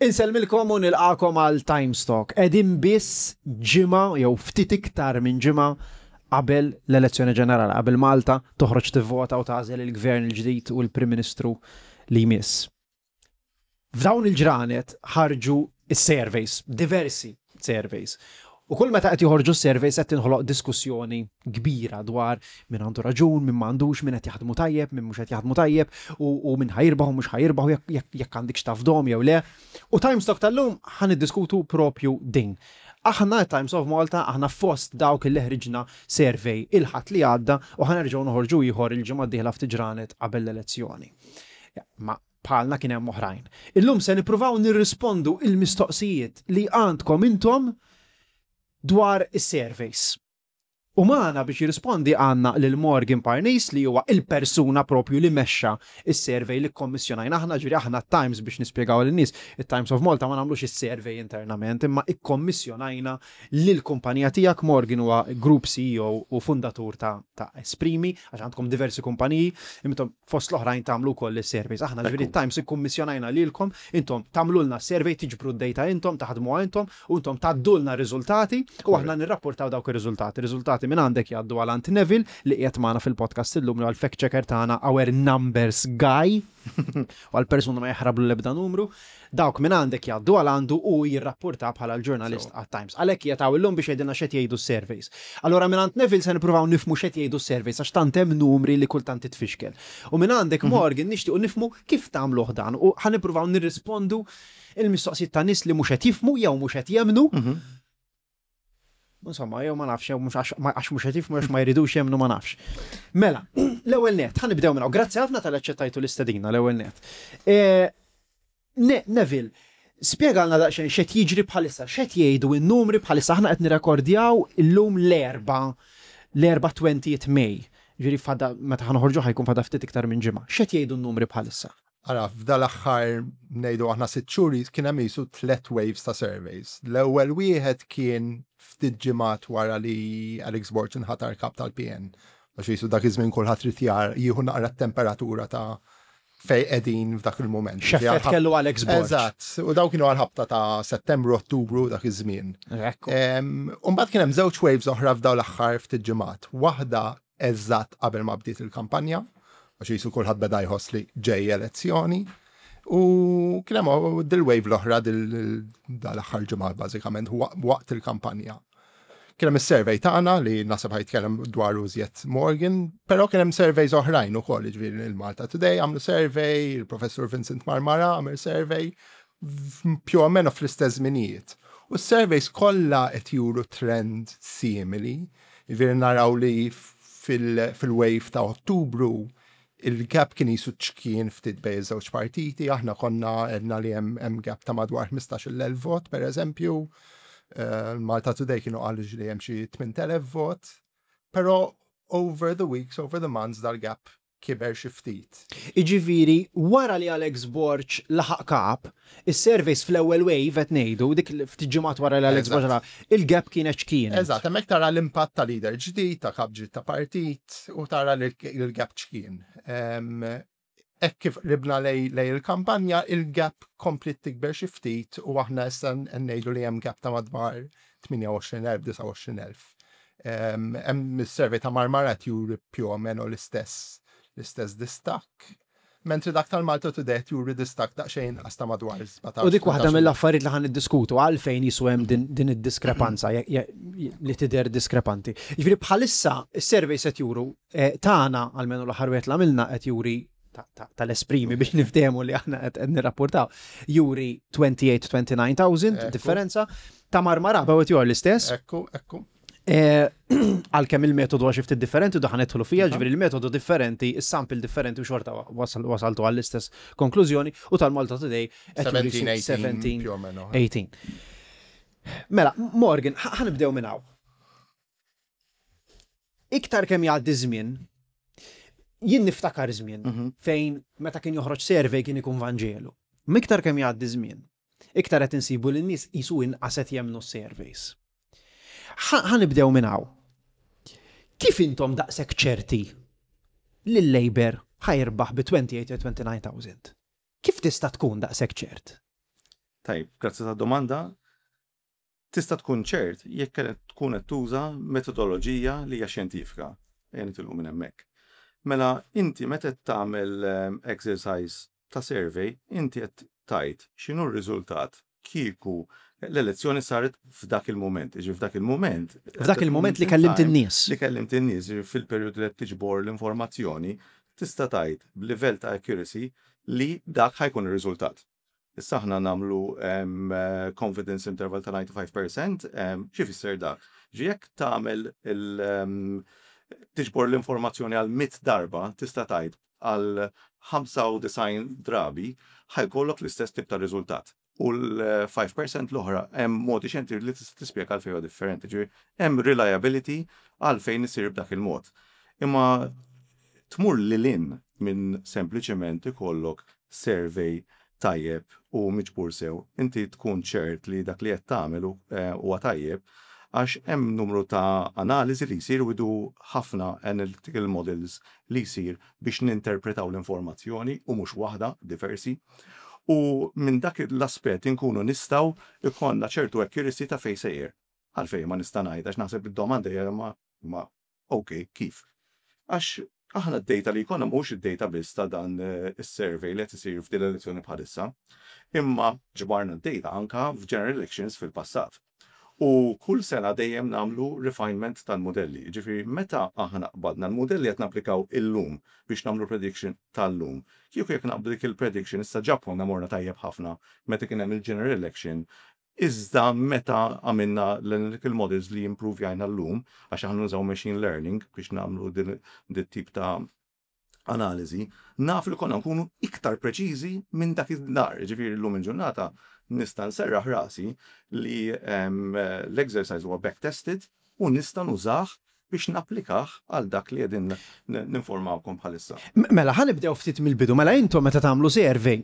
Insellmilkom u nilqagħkom għal Times Talk. Qegħdin biss ġimgħa jew ftit iktar minn ġimgħa qabel l-elezzjoni ġenerali, qabel Malta toħroġ tivvota u tagħżel il-Gvern il-ġdid u l-Prim Ministru li jmiss. F'dawn il-ġranet ħarġu s-surveys, diversi surveys. U kull meta qed joħorġu s-surveys qed tinħoloq diskussjoni kbira dwar min għandu raġun, min m'għandux, min qed jaħdmu tajjeb, min mhux qed jaħdmu tajjeb, u min ħa jirbaħ u mhux ħa jirbaħ u jekk għandikx tafdhom jew le. U Times Talk tal-lum ħa niddiskutu propju din. Aħna Times of Malta, aħna fost dawk li ħriġna survey il-Ħadd li għadda u ħa nerġgħu noħorġu ieħor il-ġimgħa d-dieħla ftit ġranet qabel l-elezzjoni. Ma bħalna kien hemm oħrajn. Illum se nippruvaw nirrispondu il-mistoqsijiet li għandkom intom dwar is-surveys. U magħna biex jirrispondi għandna lil Morgan Parnis li huwa il-persuna propju li mexxa is-survey li kkommissjonajna aħna, ġifieri aħna Times biex nispjegaw lin-nies, it-Times of Malta ma nagħmlux is-survey internament, imma ikkommissjonajna lill-kumpanija tiegħek. Morgan huwa Group CEO u fundatur ta' ta' Esprimi, għax għandkom diversi kumpaniji, intom fost l-oħrajn tagħmlu wkoll is-surveys. Aħna ġifieri Times ikkummissjonajna lilkom, intom tagħmlulna survey, tiġbru d-data intom, taħdmuha intom, u intom tgħaddulna r-riżultati u aħna nirrapportaw dawk ir-riżultati. Riżultati minn għandek jgħaddu għal għand Neville li qiegħed magħna fil-podcast illum li huwa l-fact checker tagħna, our numbers guy, u għal persuna ma jaħrablu l-ebda numru. Dawk minn għandek jgħaddu għal għandu u jirrapporta bħala l-ġurnalist għat-Times. Għalhekk qiegħed hawn illum biex jgħidilna x'qed jgħidu s-surveys. Allura minn għand Neville se nippruvaw nifhmu x'qed jgħidu s-surveys għax tant hemm numri li kultant titfixkel. U minn għandek Morgan nixtiequ nifhmu kif tagħmluh dan u ħa nippruvaw nirrispondu il-mistoqsijiet ta' nies li mhux qed jifhmu jew mhux qed jemmnu. Insomma, jew ma nafx, jew mhux għax mhux qed jifhmu għax ma jridux jemmnu ma nafx. Mela, l-ewwel nett, ħa nibdew minn hawn. Grazzi ħafna talli aċċettajtu l-istedina l-ewwel nett. Neville, spjegalna daqsxejn x'qed jiġri bħalissa, x'qed jgħidu n-numri bħalissa. Aħna qed nirrekordjaw illum l-Erbgħa, l-Erbgħa 20th May. Ġifieri fada meta ħa noħorġu ħa jkun fada ftit iktar minn ġimgħa. X'qed jgħidu n-numri bħalissa? Ara, f'dal-aħħar ngħidu aħna sitt xhur kien hemm qisu tliet waves ta' surveys. L-ewwel wieħed kien ftit ġimgħat wara li Alex Borg inħatar kap tal-PN. Għax qisu dak iż-żmien kulħadd ried jar jieħu naqra t-temperatura ta' fejn qegħdin f'dak il-mument. X'effett kellu Alex Borg. Eżatt, u daw kienu għal-ħabta ta' Settembru, Ottubru dak iż-żmien. U mbagħad kien hemm żewġ waves oħra f'dawn l-aħħar ftit ġimgħat. Waħda eżatt qabel ma bdiet il-kampanja, għax qisu kulħadd beda jħoss li ġej elezzjoni. U kien hemm dil-wave l-oħra dal-aħħar ġimgħa bażikament waqt il-kampanja. Kien hemm is-survey tagħna li naħseb ħa jitkellem dwar iżjed Morgan, però kien hemm surveys oħrajn ukoll, jiġifieri il-Malta Today għamlu survey, il-Professur Vincent Marmara għamel survey, più o meno fl-istess żminijiet. U s-surveys kollha qed juru trend simili, jiġifieri naraw li fil-wave ta' Ottubru il-gap kien qisu ċkien ftit bejn iż-żewġ partiti, aħna konna għedna li hemm gap ta' madwar 15,000 vot, per eżempju, Malta Today kienu qalu li hemm xi 8,000 vot, però over the weeks, over the months dal-gap kiber xi ftit. Iġifieri, wara li Alex Borg laħaq kap, is-surveys fl-ewwel wave qed ngħidu, dik ftit ġimgħat wara li Alex Borg laħaq, il-gap kienet x'kienet. Eżatt, hemmhekk tara l-impatt ta' leader ġdid, ta' kap ġdid ta' partit u tara li l-gap x'kien. Hekk kif qribna lejn il-kampanja, il-gap kompliet tikber xi ftit u aħna issa ngħidu li hemm gap ta' madwar 28,000, 29,000. Hemm is-survey ta' Marmara juri più o meno l-istess l-istess distakk. Mentri dak tal-Malta Today juri distakk daqsxejn inqas ta' madwar 17. U dik waħda mill-affarijiet li ħa niddiskutu għalfejn qisu hemm din id-diskrepanza li tidher diskrepanti. Jiġifieri bħalissa is-survey se juru tagħna almenu l-aħħar wieħed li għamilna qed juri tal-Esprimi biex niftehmu li aħna qed nirrapportaw juri 28-29,000 differenza ta' Marmara bawet jor l-istess. Ekku, ekku. Għalkemm il-metodu għax ftit differenti u daħan nidħlu fija, ġifieri il-metodu differenti, is-sample differenti u xorta wasaltu għall-istess konklużjoni u tal-Malta Today qed juri 17, 18. Mela, Morgan, ħa nibdew minn hawn. Iktar kemm jgħaddi żmien, jien niftakar żmien fejn meta kien joħroġ survey kien ikun Vanġelu. Miktar kemm jgħaddi żmien, iktar qed insibu li n-nies qisu inqas qed jemmnu s-surveys. Ħa nibdew minn hawn. Kif intom daqshekk ċerti li l-Labour ħa jirbaħ bi 28 29,000? Kif tista' tkun daqshekk ċert? Tajjeb, grazzi tad-domanda. Tista' tkun ċert jekk qed tkun qed tuża metodoloġija li hija xjentifika. Ejja nitilqu minn hemmhekk. Mela inti meta qed tagħmel exercise ta' survey, inti qed tgħid x'inhu r-riżultat kieku l-elezzjoni saret f'dak il-mument. Jiġifieri f'dak il-mument. F'dak il-mument li kellimt in-nies. Li kellimt in-nies, jiġifieri fil-perjodu li qed tiġbor l-informazzjoni, tista' tgħid b'livell ta' accuracy li dak ħa jkun ir-riżultat. Issa aħna nagħmlu confidence interval ta' 95%, x'ifisser dak? Ġi jekk tagħmel il tiġbor l-informazzjoni għal 100 darba, tista' tgħid għal 95 drabi ħa jkollok l-istess tip ta' riżultat. U l-5% l-oħra hemm modi xjentifiċi li tista' tispjega għalfejn huwa differenti. Ġifieri hemm reliability għalfejn isir b'dak il-mod. Imma tmur lil hinn minn sempliċement ikollok survey tajjeb u miġbur sew, inti tkun ċert li dak li qed tagħmel huwa tajjeb għax hemm numru ta' analiżi li jsir u jdu ħafna analytical models li jsir biex ninterpretaw l-informazzjoni u mhux waħda, diversi. U minn dak l-aspett inkunu nistgħu jkollna ċertu accuracy ta' fejn sejjer. Għalfejn ma nista' ngħid għax naħseb id-domanda hija ma Ok, kif? Għax aħna d-data li jkollna mhux id-data biss ta' dan is-survey li qed isir f'din l-elezzjoni bħalissa, imma ġbarna d-data anka f'general elections fil-passat. U kull sena dejjem nagħmlu refinement tal-mudelli. Jiġifieri meta aħna qbadna l-mudelli qed napplikaw illum biex nagħmlu prediction tal-lum. Kieku jekk naqbdu dik il-prediction issa ġa konna morna tajjeb ħafna meta kien hemm il-general election Iżda meta għamilna l-analytical models li impruvjajna llum, għax aħna nużaw machine learning biex nagħmlu din tip ta' analiżi, naf li konna nkunu iktar preċiżi minn dak id-dar. Ġifieri llum il-ġurnata nista' nserraħ rasi li l-exercise huwa back-tested u nista' nużah biex napplikah għal dak li qegħdin ninformawkom bħalissa. Mela, ħa nibdew ftit mill-bidu. Mela intom meta tagħmlu survey,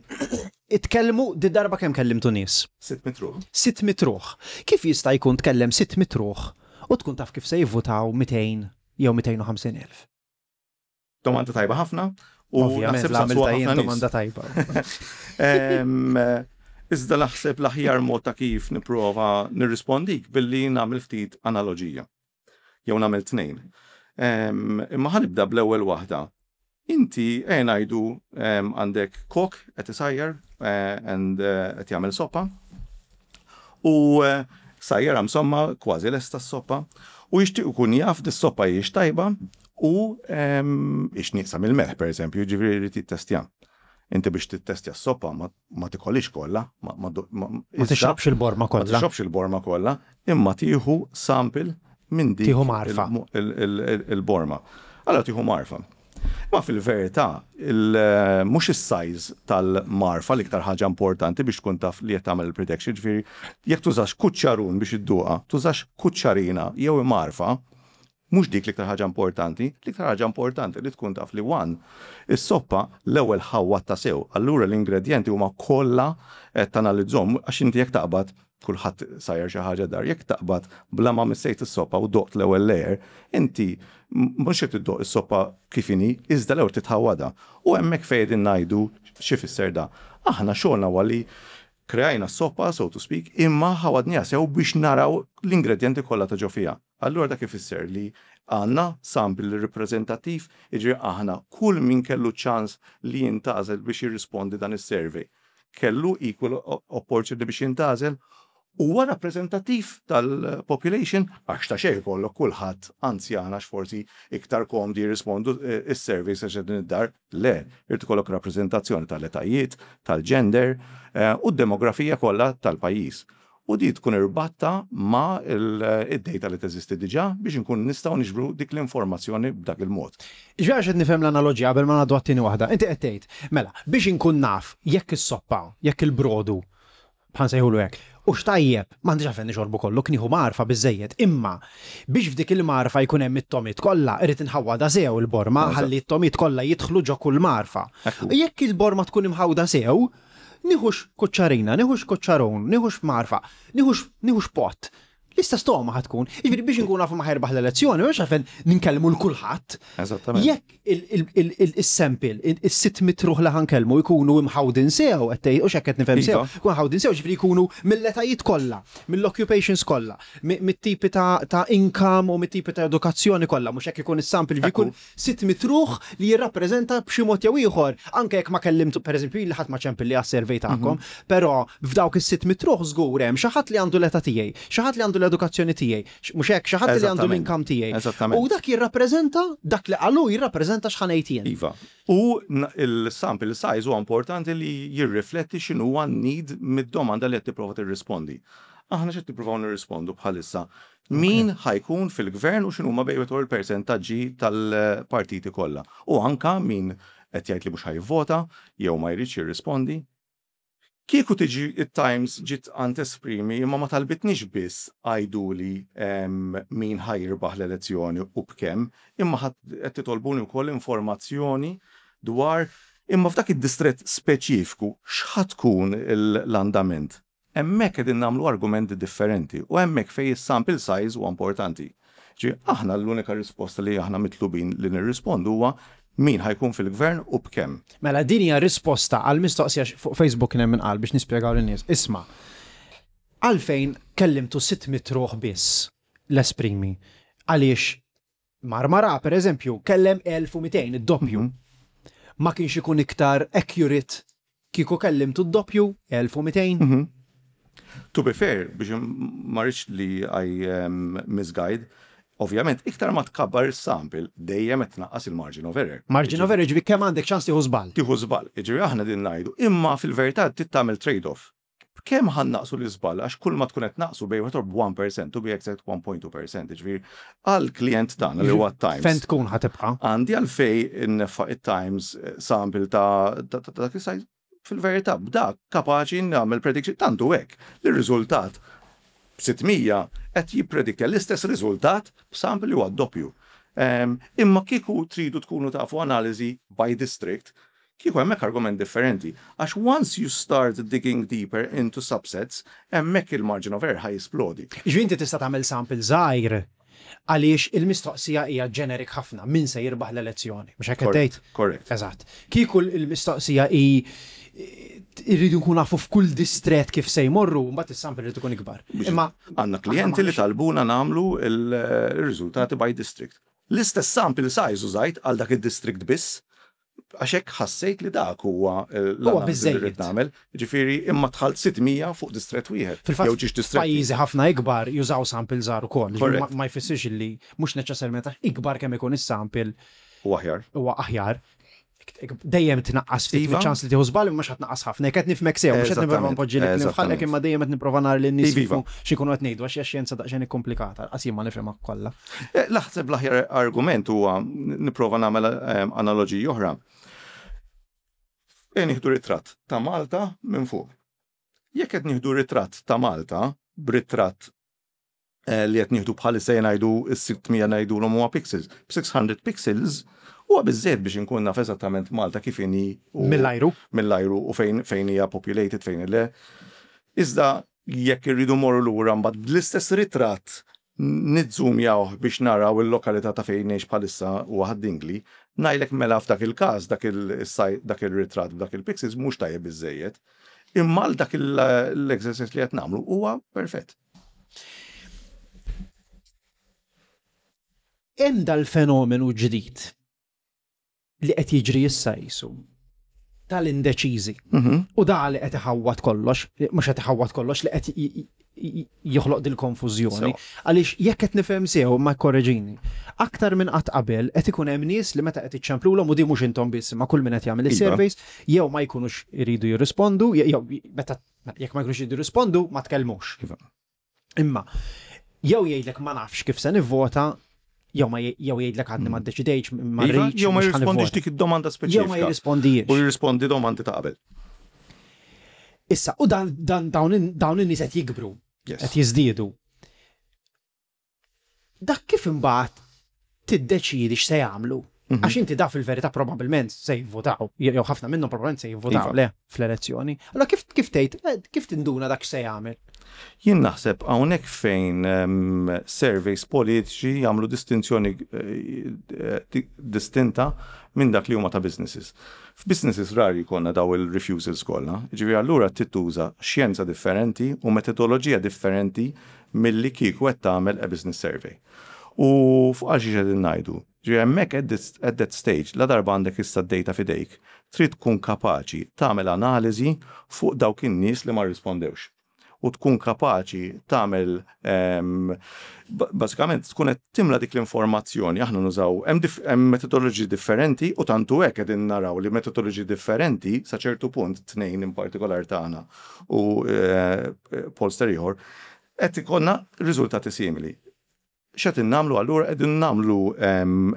itkellmu di darba kemm kellimtu nies? 600 ruħ. 600 ruħ. Kif jista' jkun tkellem 600 ruħ u tkun taf kif se jivvutaw 200 jew 250 elf? Domanda tajba ħafna. U naħseb l-għamilta jien domanda tajba. Iżda naħseb l-aħjar mod ta' kif nipprova nirrispondik billi nagħmel ftit analoġija. Jew nagħmel tnejn. Imma ħa nibda bl-ewwel waħda. Inti ejja ngħidu għandek kok qed isajjar and qed jagħmel soppa. U sajjarha insomma kważi lesta s-soppa u jixtieq ikun jaf dis-soppa hijiex tajba u hix nieqsa mill-melħ pereżempju, jiġifieri jrid jittestja. Inti biex tittestja s-soppa ma tikolhiex kollha, ma tixrobx il-borma kollha. Ma tixrobx il-borma kollha, imma tieħu sample minn dik Tieħu mgħarfa. il-borma. Allura tieħu mgħarfa. Imma fil-verità, mhux is-size tal-mgħarfa l-iktar ħaġa importanti biex tkun taf li qed tagħmel il-prediction, jiġifieri jekk tużax kuċċarun biex idduqha, tużax kuċċarina jew imgħarfa, mhux dik l-iktar ħaġa importanti, l-iktar ħaġa importanti li tkun taf li one, is-soppa l-ewwel ħawwadtha sew, allura l-ingredjenti huma kollha qed tanalizzhom għax inti jekk taqbad Kulħadd sajjar xi ħaġa dar. Jekk taqbad bla ma missejt is-soppa u doqt l-ewwel layer, inti mhux qed iddoq is-soppa kif inhi, iżda l-ewwel titħawwadha. U hemmhekk fejn qegħdin ngħidu x'ifisser da. Aħna xogħolna huwa li kreajna s-soppa, so to speak, imma ħawadniha sew biex naraw l-ingredjenti kollha ta' ġo fiha. Allura dak ifisser li għandna sample ripreżentattiv, jiġifieri aħna kull min kellu ċ-ċans li jintgħażel biex jirrispondi dan is-survey kellu equal opportunity biex jintgħażel, huwa rappreżentattiv tal-population għax ta' xejn ikollok kulħadd anzjan għax forsi iktar komdi jirrispondu s-surveys għax qegħdin id-dar. Le, irid ikollok rappreżentazzjoni tal-etajiet, tal-gender u d-demografija kollha tal-pajjiż. U di tkun irbatta ma' id-data li teżisti diġà biex inkunu nistgħu niġbru dik l-informazzjoni b'dak il-mod. Jiġifieri għax qed nifhem l-analoġija qabel ma ngħaddu għat-tieni waħda. Inti qed tgħid, mela, biex inkun naf jekk is-soppa, jekk il-brodu, bħal nsejħulu hekk, hux tajjeb, m'għandix għalfejn nixorbu kollu, kien nieħu mgħarfa biżżejjed, imma biex f'dik il-mgħarfa jkun hemm it-togħmiet kollha, irrid inħawwadha sew il-borma ħalli t-togħmiet kollha jidħlu ġo kull mgħarfa. Jekk il-borma tkun imħawda sew, Nieħux kuċċarina, nieħux kuċċarun, nieħux mgħarfa, nieħux nieħux pott. L-istess togħma ħa tkun. Jiġifieri biex inkunu nafu ma ħa jirbaħ l-elezzjoni, mhux għalfejn ninkellmu 'l kulħadd. Eżattament. Jekk is-sample, is-600 ruħ li ħa nkellmu jkunu imħawdin sew, qed tgħid, hux hekk qed nifhem sew, Iva. jkunu mħawdin sew, ġifieri jkunu mill-etajiet kollha, mill-occupations kollha, mit-tipi ta' income u mit-tipi ta' edukazzjoni kollha, mhux hekk ikun is-sample, ġifieri jkun 600 ruħ li jirrappreżenta b'xi mod jew ieħor, anke jekk ma kellimtu, pereżempju jien li ħadd ma ċempilli għas-survey tagħkom, però f'dawk is-600 ruħ żgur hemm xi ħadd li għandu l-età tiegħi, xi ħadd li għandu l-edukazzjoni tiegħi, mhux hekk, xi ħadd li għandu l-income tiegħi. Eżattament. U dak jirrappreżenta, dak li qalu jirrappreżenta x'ħa ngħid jien. Iva. U il-sample size huwa importanti li jirrifletti x'inhuwa n-need mid-domanda li qed tipprova tirrispondi. Aħna x'qed nippruvaw nirrispondu bħalissa? Min ħa jkun fil-gvern u x'inhuma bejn wieħed u ieħor il-persentaġġi tal-partiti kollha. U anka min qed jgħid li mhux ħa jivvota jew ma jridx jirrispondi. Kieku tiġi it-Times ġiet għand Esprimi imma ma talbitniex biss għiduli min ħa jirbaħ l-elezzjoni u b'kemm, imma qed titolbuni wkoll informazzjoni dwar imma f'dak id-distrett speċifiku x'ħa tkun l-andament. Hemmhekk qegħdin nagħmlu argumenti differenti u hemmhekk fejn is-sample size huwa importanti. Ġifieri aħna l-unika risposta li aħna mitlubin li nirrispondu huwa min ħa jkun fil-gvern u b'kemm. Mela din hija risposta għal mistoqsija fuq Facebook kien hemm min qal biex nispjegaw lin-nies. Isma', għalfejn kellimtu 600 ruħ biss l-Esprimi? Għaliex Marmara, per eżempju, kellem 1200, id-doppju. Ma kienx ikun iktar accurate kieku kellimtu d-doppju, 1200? To be fair, biex ma rridx li I misguide, ovvjament iktar ma tkabbar is-sample dejjem qed tnaqqas il-margin of error. Margin of error, ġifieri kemm għandek ċans tieħu żball. Tieħu żball, jiġifieri aħna din ngħidu, imma fil-verità trid tagħmel trade-off. B'kemm ħa nnaqqsu l-iżball għax kull ma tkun qed tnaqqsu bejn wieħed b'1% to be exact 1.2%, jiġifieri għall-klijent tagħna li huwa t-Times. Fejn tkun ħa tibqa'? Għandi għalfejn inneffa' it-Times sample ta' dak is-size? Fil-verità b'dak kapaċi nagħmel prediction tant hu hekk li r-riżultat b'600 qed jipprediktja l-istess riżultat b'sample li huwa d-doppju. Imma kieku tridu tkunu tafu analiżi by district, Kieku hemmhekk argument differenti, għax once you start digging deeper into subsets, hemmhekk il-margin of error ħa jisplodi. Jiġifieri inti tista' tagħmel sample żgħir għaliex il-mistoqsija hija generic ħafna, min se jirbaħ l-elezzjoni. Mhux hekk qed tgħid? Correct. Eżatt. Kieku l-mistoqsija hi irridu nkunu nafu f'kull distrett kif se jmorru, mbagħad is-sample irid ikun ikbar. Imma għandna klijenti li talbuna nagħmlu l-riżultati by district. L-istess sample size użajt għal dak id-district biss, Għax hekk ħassejt li dak huwa l-analiżi li rrid nagħmel. Jiġifieri imma dħalt 600 fuq distrett wieħed. Fil-fatt, pajjiżi ħafna ikbar jużaw sample żgħar ukoll. Ma jfissirx li mhux neċessarjament għax ikbar kemm ikun is-sample. Huwa aħjar. Huwa aħjar. Dejjem tnaqqas ftit miċ-ċans li tieħu żball imma mhux ħa tnaqqas ħafna. Jekk qed nifhmek sew, mhux qed nipprova npoġġi l-kliem f'ħalqek imma dejjem qed nipprova nara lin-nies x'ikunu qed ngħidu għax hija xjenza daqsxejn ikkumplikata, lanqas jien ma nifhimha kollha. Naħseb l-aħjar argument huwa nipprova nagħmel analoġija oħra. Ejja nieħdu ritratt ta' Malta minn fuq. Jekk qed nieħdu ritratt ta' Malta b'ritratt li qed nieħdu bħalissa jien ngħidu s-600 ngħidulhom huwa pixels. B'600 pixels huwa biżżejjed biex inkun naf eżattament Malta kif inhi mill-ajru. Mill-ajru u fejn fejn hija populated fejn le. Iżda jekk irridu morru lura mbagħad bl-istess ritratt nizzumjawh biex naraw il-lokalità ta' fejn ngħix bħalissa huwa Ħad-Dingli, ngħidlek mela f'dak il-każ dak dak ir-ritratt b'dak il-pixels mhux tajjeb biżżejjed. Imma għal dak l-exercise li qed nagħmlu huwa perfett. Hemm dal-fenomenu ġdid li qed jiġri issa qisu tal-indeċiżi. U da li qed iħawwad kollox, mhux qed iħawwad kollox, li qed joħloq dil-konfużjoni. Għaliex jekk qed nifhem sew, ma korreġini, aktar minn qatt qabel qed ikun hemm nies li meta qed iċċemplulhom u di mhux intom biss, imma kull min qed jagħmel is-surveys, jew ma jkunux iridu jirrispondu, jew meta jekk ma jkunux iridu jirrispondu ma tkellmux. Iva. Imma jew jgħidlek ma nafx kif se nivvota, jew ma jew jgħidlek għadni ma ddeċidejtx, ma Iva, rridx. jew ma mhux ħa jirrispondix nivvota. dik id-domanda speċifika. Jew ma jirrispondijiex. U jirrispondi domandi ta' qabel. Issa, u dan, dan, dawn in- dawn in-nies qed jikbru, Yes. qed jiżdiedu. Dak kif imbagħad tiddeċiedi x'se jagħmlu? Għax inti da fil-verità probabbilment se jivvotaw, jew ħafna minnhom probabbilment se jivvotaw Iva. le fl-elezzjoni. Allora kif kif tgħid, kif tinduna dak x'se jagħmel? Jien naħseb hawnhekk fejn surveys politiċi jagħmlu distinzjoni distinta minn dak li huma ta' businesses. F'businesses rari jkollna daw il-refusals kollha. Ġifieri allura tituża xjenza differenti u metodoloġija differenti milli kieku qed tagħmel a business survey. U fuq għal xiex qegħdin ngħidu. Ġifieri hemmhekk at that stage, la darba għandek issa d-data f'idejk, trid tkun kapaċi tagħmel analiżi fuq dawk in-nies li ma rrispondewx. U tkun kapaċi tagħmel bażikament tkun qed timla dik l-informazzjoni. Aħna nużaw hemm metodoloġiji differenti u tantu hekk qegħdin naraw li metodoloġiji differenti sa ċertu punt, tnejn in partikolar tagħna u pollster ieħor, qed ikollna riżultati simili. X'qed nagħmlu allura? Qegħdin nagħmlu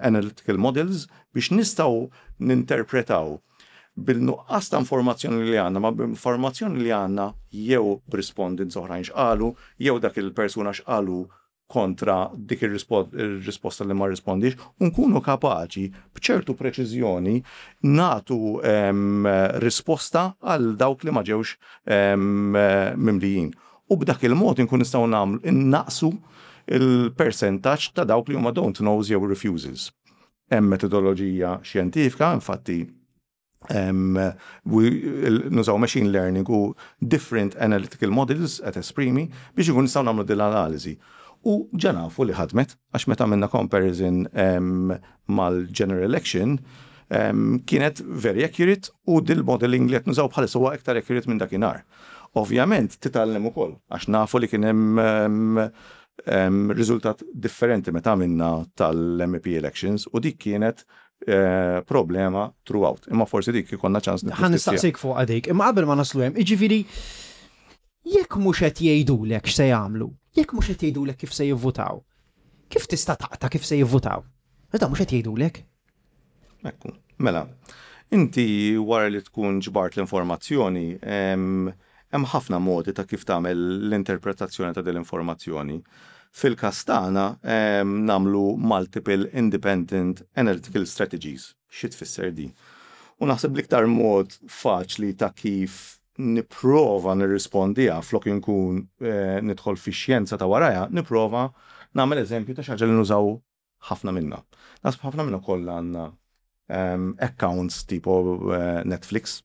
analytical models biex nistgħu ninterpretaw bil-nuqqas ta' informazzjoni li għandna, ma b'informazzjoni li għandna jew b'respondents oħrajn x'qalu, jew dak il-persuna x'qalu kontra dik ir-risposta li ma rrispondix, u nkunu kapaċi b'ċertu preċiżjoni natu risposta għal dawk li ma ġewx mimlijin. U b'dak il-mod nkun nistgħu nagħmlu innaqsu il-percentaġġ ta' dawk li huma don't knows jew refusals. Hemm metodoloġija xjentifika, infatti nużaw machine learning u different analytical models at Esprimi biex ikun nistgħu nagħmlu din l-analiżi. U ġa nafu li ħadmet, għax meta għamilna comparison mal-general election, kienet very accurate u dil-modeling li qed nużaw bħalissa huwa iktar accurate minn dakinhar. Ovvjament titgħallem ukoll, għax nafu li kien hemm riżultat differenti meta għamilna tal-MEP elections u dik kienet problema throughout. Imma forsi dik ikollna ċans Ħa nistaqsik fuq għadik, imma qabel ma naslu hemm, jiġifieri jekk mhux qed jgħidulek x'se jagħmlu, jekk mhux qed jgħidulek kif se jivvutaw, kif tista' taqta' kif se jivvutaw? Meta mhux qed jgħidulek? Ekku, mela, inti wara li tkun ġbart l-informazzjoni, hemm ħafna modi ta' kif tagħmel l-interpretazzjoni ta' din l-informazzjoni. Fil-każ tagħna nagħmlu multiple independent analytical strategies. Xi tfisser di? U naħseb l-iktar mod faċli ta' kif nipprova nirrispondiha flok inkun nidħol fi xjenza ta' warajha, nipprova nagħmel eżempju ta' xi ħaġa li nużaw ħafna minna. Naħseb ħafna minna kollha għandna accounts tipo Netflix.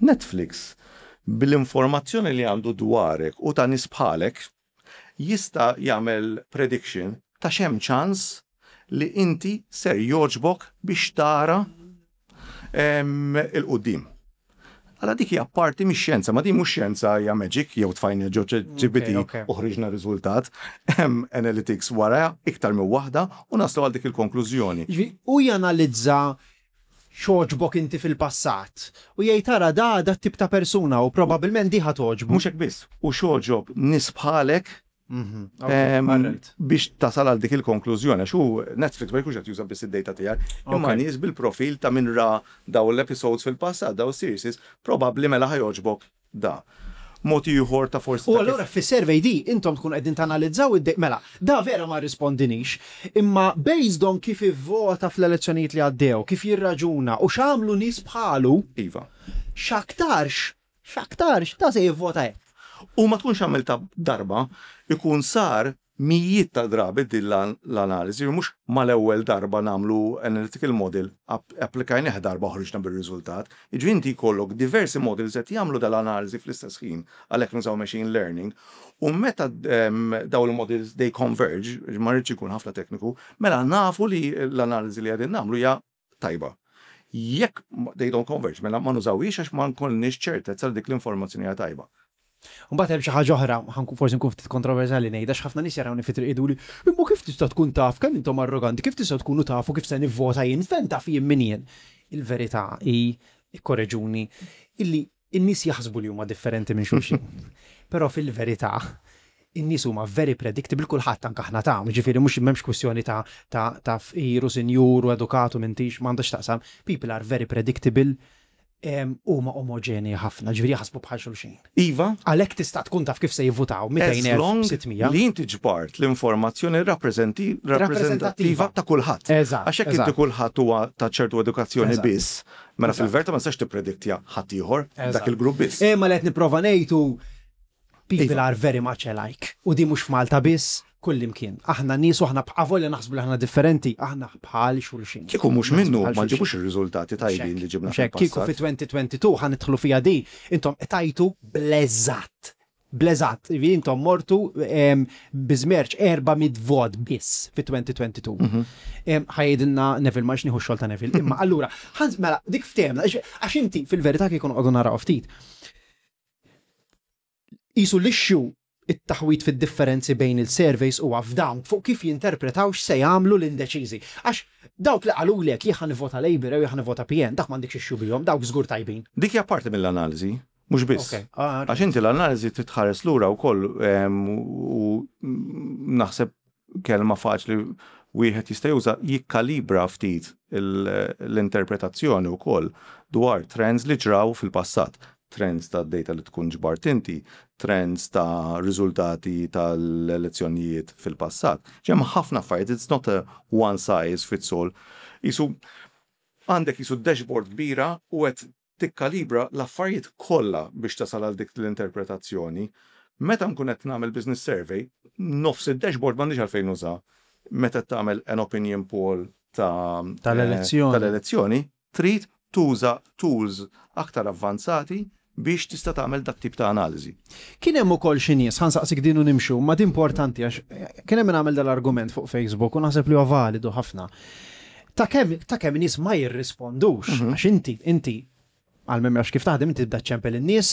Netflix bil-informazzjoni li għandu dwarek u ta' nies bħalek jista' jagħmel prediction ta' x'hemm ċans li inti ser jogħġbok biex tara 'il quddiem. Għala dik hija parti mix-xjenza, ma din mhux xjenza hija magic jew tfajna ġo GPT u ħriġna riżultat. Hemm analytics wara iktar minn waħda u naslu għal dik il-konklużjoni. U janalizza x'għoġbok inti fil-passat. U jgħid tara da tip ta' persuna u probabbilment di ħa togħġbu. Mhux hekk biss, u x'għoġob nies bħalek biex tasal għal dik il-konklużjoni, għax hu Netflix ma jkunx qed juża biss id-data tiegħek, imma nies bil-profil ta' min ra daw l-episodes fil-passat, daw series, probabbli mela ħa jogħġbok da. Mod ieħor ta' forsi. U allura fi survey di intom tkun qegħdin tanalizzaw id mela, da vera ma rispondinix, imma based on kif ivvota fl-elezzjonijiet li għaddew, kif jirraġuna u x'għamlu nies bħalu. X'aktarx, x'aktarx ta' se jivvota hekk. U ma tkunx għamilta darba, ikun sar mijiet ta' drabi din l-analiżi, mhux mal-ewwel darba nagħmlu analytical model, applikajnieh darba ħriġna bir-riżultat. Jiġifieri inti jkollok diversi models qed jagħmlu dal-analiżi fl-istess ħin, għalhekk nużaw machine learning, u meta daw il-models they converge, ma rridx ikun ħafna tekniku, mela nafu li l-analiżi li qegħdin nagħmlu hija tajba. Jekk they don't converge, mela ma nużawhiex għax ma nkollniex ċertezza li dik l-informazzjoni hija tajba. Mbagħad hemm xi ħaġa oħra, ħankun forsi nkun ftit kontroversjali ngħidha, x'ħafna nies jarawni fi triq jgħiduli, imma kif tista' tkun taf kemm intom arroganti, kif tista' tkunu tafu kif se nivvota jien, fejn taf jien min jien. Il-verità hi, ikkoreġuni, illi in-nies jaħsbu li huma differenti minn xulxin. Però fil-verità, in-nies huma very predictable, kulħadd, anke aħna ta' ġifieri mhux m'hemmx kwistjoni ta' fqir u sinjur u edukatu m'intix, m'għandux taqsam. People are very predictable. Huma omoġenji ħafna, ġifieri jaħsbu bħal xulxin. Iva. Għalhekk tista' tkun taf kif se jivvutaw 200,000, 600. Li inti ġbart l-informazzjoni rappreżentattiva ta' kulħadd. Eżatt. Għax jekk inti kulħadd huwa ta' ċertu edukazzjoni biss, mela fil-verità ma tistax tipprediktja ħaddieħor dak il-grupp biss. Imma li qed nipprova ngħid hu people are very much alike. U di mhux f'Malta biss, kullimkien. Aħna nies u aħna avolja naħsbu li aħna differenti, aħna bħal xulxin. Kieku mhux minnu ma nġibux ir-riżultati tajbin li ġibna fil-passat. Kieku fi 2022 ħa nidħlu fiha di, intom qtajtu bl-eżatt. Bl-eżatt. Jiġifieri intom mortu bi żmerċ 400 vot biss fi 2022. Ħa jgħidilna Neville, ma rridx nieħu x-xogħol ta' Neville. Imma allura, mela dik ftehemna, għax inti fil-verità kieku noqogħdu naraw ftit. Qisu l-issue, it-taħwid fid-differenzi bejn il-surveys huwa f'dawn fuq kif jinterpretaw x'se jagħmlu l-indeċiżi. Għax dawk li qalulek jien ħa nivvota Labour jew jien ħa nivvota PN, dak m'għandekx issue bihom, dawk żgur tajbin. Dik hija parti mill-analiżi, mhux biss. Għax inti l-analiżi trid tħares lura wkoll u naħseb kelma faċli wieħed jista' juża jikkalibra ftit l-interpretazzjoni wkoll dwar trends li ġraw fil-passat. Trends ta' data li tkun ġbart inti, trends ta' riżultati tal-elezzjonijiet fil-passat. Hemm ħafna affarijiet, it's not a one size fits all. Qisu għandek qisu dashboard kbira u qed tikkalibra l-affarijiet kollha biex tasal għal dik l-interpretazzjoni. Meta nkun qed nagħmel business survey, nofs id-dashboard m'għandix għalfejn nuża. Meta tagħmel an opinion poll ta' tal-elezzjoni, tal-elezzjoni, trid tuża tools aktar avvanzati biex tista' tagħmel dat tip ta' analiżi. Kien hemm ukoll xi nies, ħa nsaqsik din u nimxu, ma din importanti għax kien hemm min għamel dal-argument fuq Facebook u naħseb li huwa validu ħafna. Ta' kemm ta' kemm nies ma jirrispondux, għax inti inti għal min ma jafx kif taħdem inti tibda ċċempel in-nies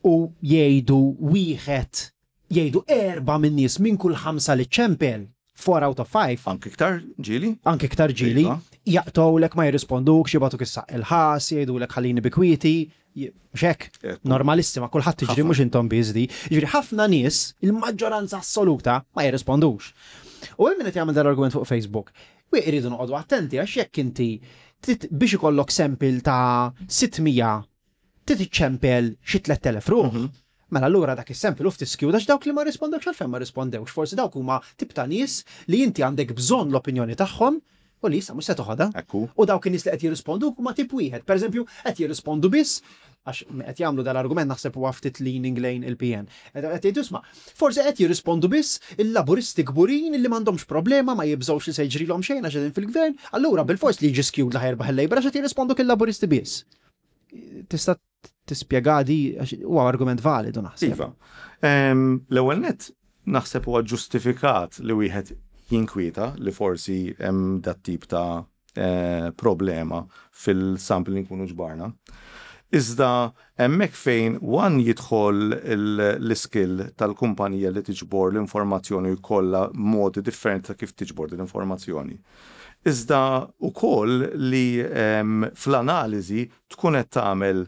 u jgħidu wieħed jgħidu erba' min-nies minn kull ħamsa li ċċempel, 4 out of 5. Anki iktar ġieli. Anki iktar ġieli. Iva. Jaqtgħulek ma jirrispondukx, jibagħtuk is-saqq il-ħas, jgħidulek ħallini bi kwieti, mhux hekk? Normalissima, kulħadd tiġri mhux intom biss di. Jiġifieri ħafna nies, il-maġġoranza assoluta ma jirrispondux. U hemm min qed jagħmel dal-argument fuq Facebook. U jridu noqogħdu attenti għax jekk inti biex ikollok sample ta' 600 trid iċċempel xi 3000 ruħ. Mela allura dak is-sample hu ftit skewed għax dawk li ma rrispondewx għalfejn ma rrispondewx, forsi dawk huma tip ta' nies li inti għandek bżonn l-opinjoni tagħhom u li issa mhux se toħodha. Ekku. U dawk in-nies li qed jirrisponduk huma tip wieħed. Pereżempju, qed jirrispondu biss għax qed jagħmlu dal-argument naħseb huwa ftit leaning lejn il-PN. Qed jgħidu isma' forsi qed jirrispondu biss il-Laburisti kburin li m'għandhomx problema ma jibżgħux li se jiġrilhom xejn għax qegħdin fil-gvern, allura bilfors li jiġi skewed li ħa jirbaħ il-Labour għax qed jirrisponduk il-Laburisti biss. Tista' tispjega di għax huwa argument validu naħseb. Iva. L-ewwel nett naħseb huwa ġustifikat li wieħed jinkwieta li forsi hemm dat tip ta' problema fil-sample li nkunu ġbarna. Iżda hemmhekk fejn one jidħol l-iskill tal-kumpanija li tiġbor l-informazzjoni u jkollha modi differenti ta' kif tiġbor din l-informazzjoni. Iżda wkoll li fl-analiżi tkun qed tagħmel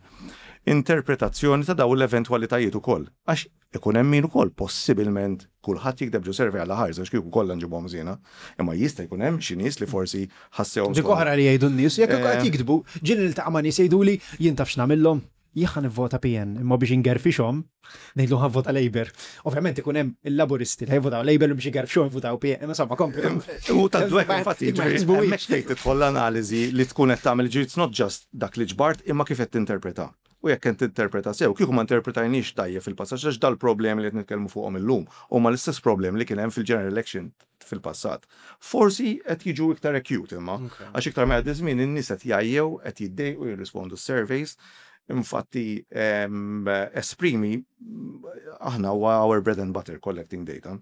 interpretazzjoni ta' dawn l-eventwalitajiet ukoll. Għax ikun hemm min ukoll possibilment kulħadd jikdeb ġo survey għal ħares għax kieku kollha nġibuhom żiena. Imma jista' jkun hemm xi nies li forsi ħassewhom. Dik oħra li jgħidu n-nies, jekk qed jiktbu, ġieli niltaqa' ma' nies jgħiduli jien taf x'nagħmilhom? Jien ħa nivvota PN, imma biex ingerfixhom, ngħidlu ħa nvota Labour. Ovvjament ikun hemm il-Laburisti li ħajvotaw Labour biex igerfxuhom jivvotaw PN, imma insomma kompli. U ta' dwek infatti, hemmhekk fejn tidħol l-analiżi li tkun qed tagħmel, it's not just dak li ġbart imma kif qed tinterpreta. U jekk qed tinterpreta sew, kieku ma interpretajniex tajjeb fil-passat għax dal-problemi li qed nitkellmu fuqhom illum huma l-istess problemi li kien hemm fil-general election fil-passat. Forsi qed jiġu iktar acute imma, għax iktar ma jgħaddi żmien in-nies qed jgħajjew, qed jiddejqu jirrispondu s-surveys. Infatti esprimi aħna huwa our bread and butter collecting data.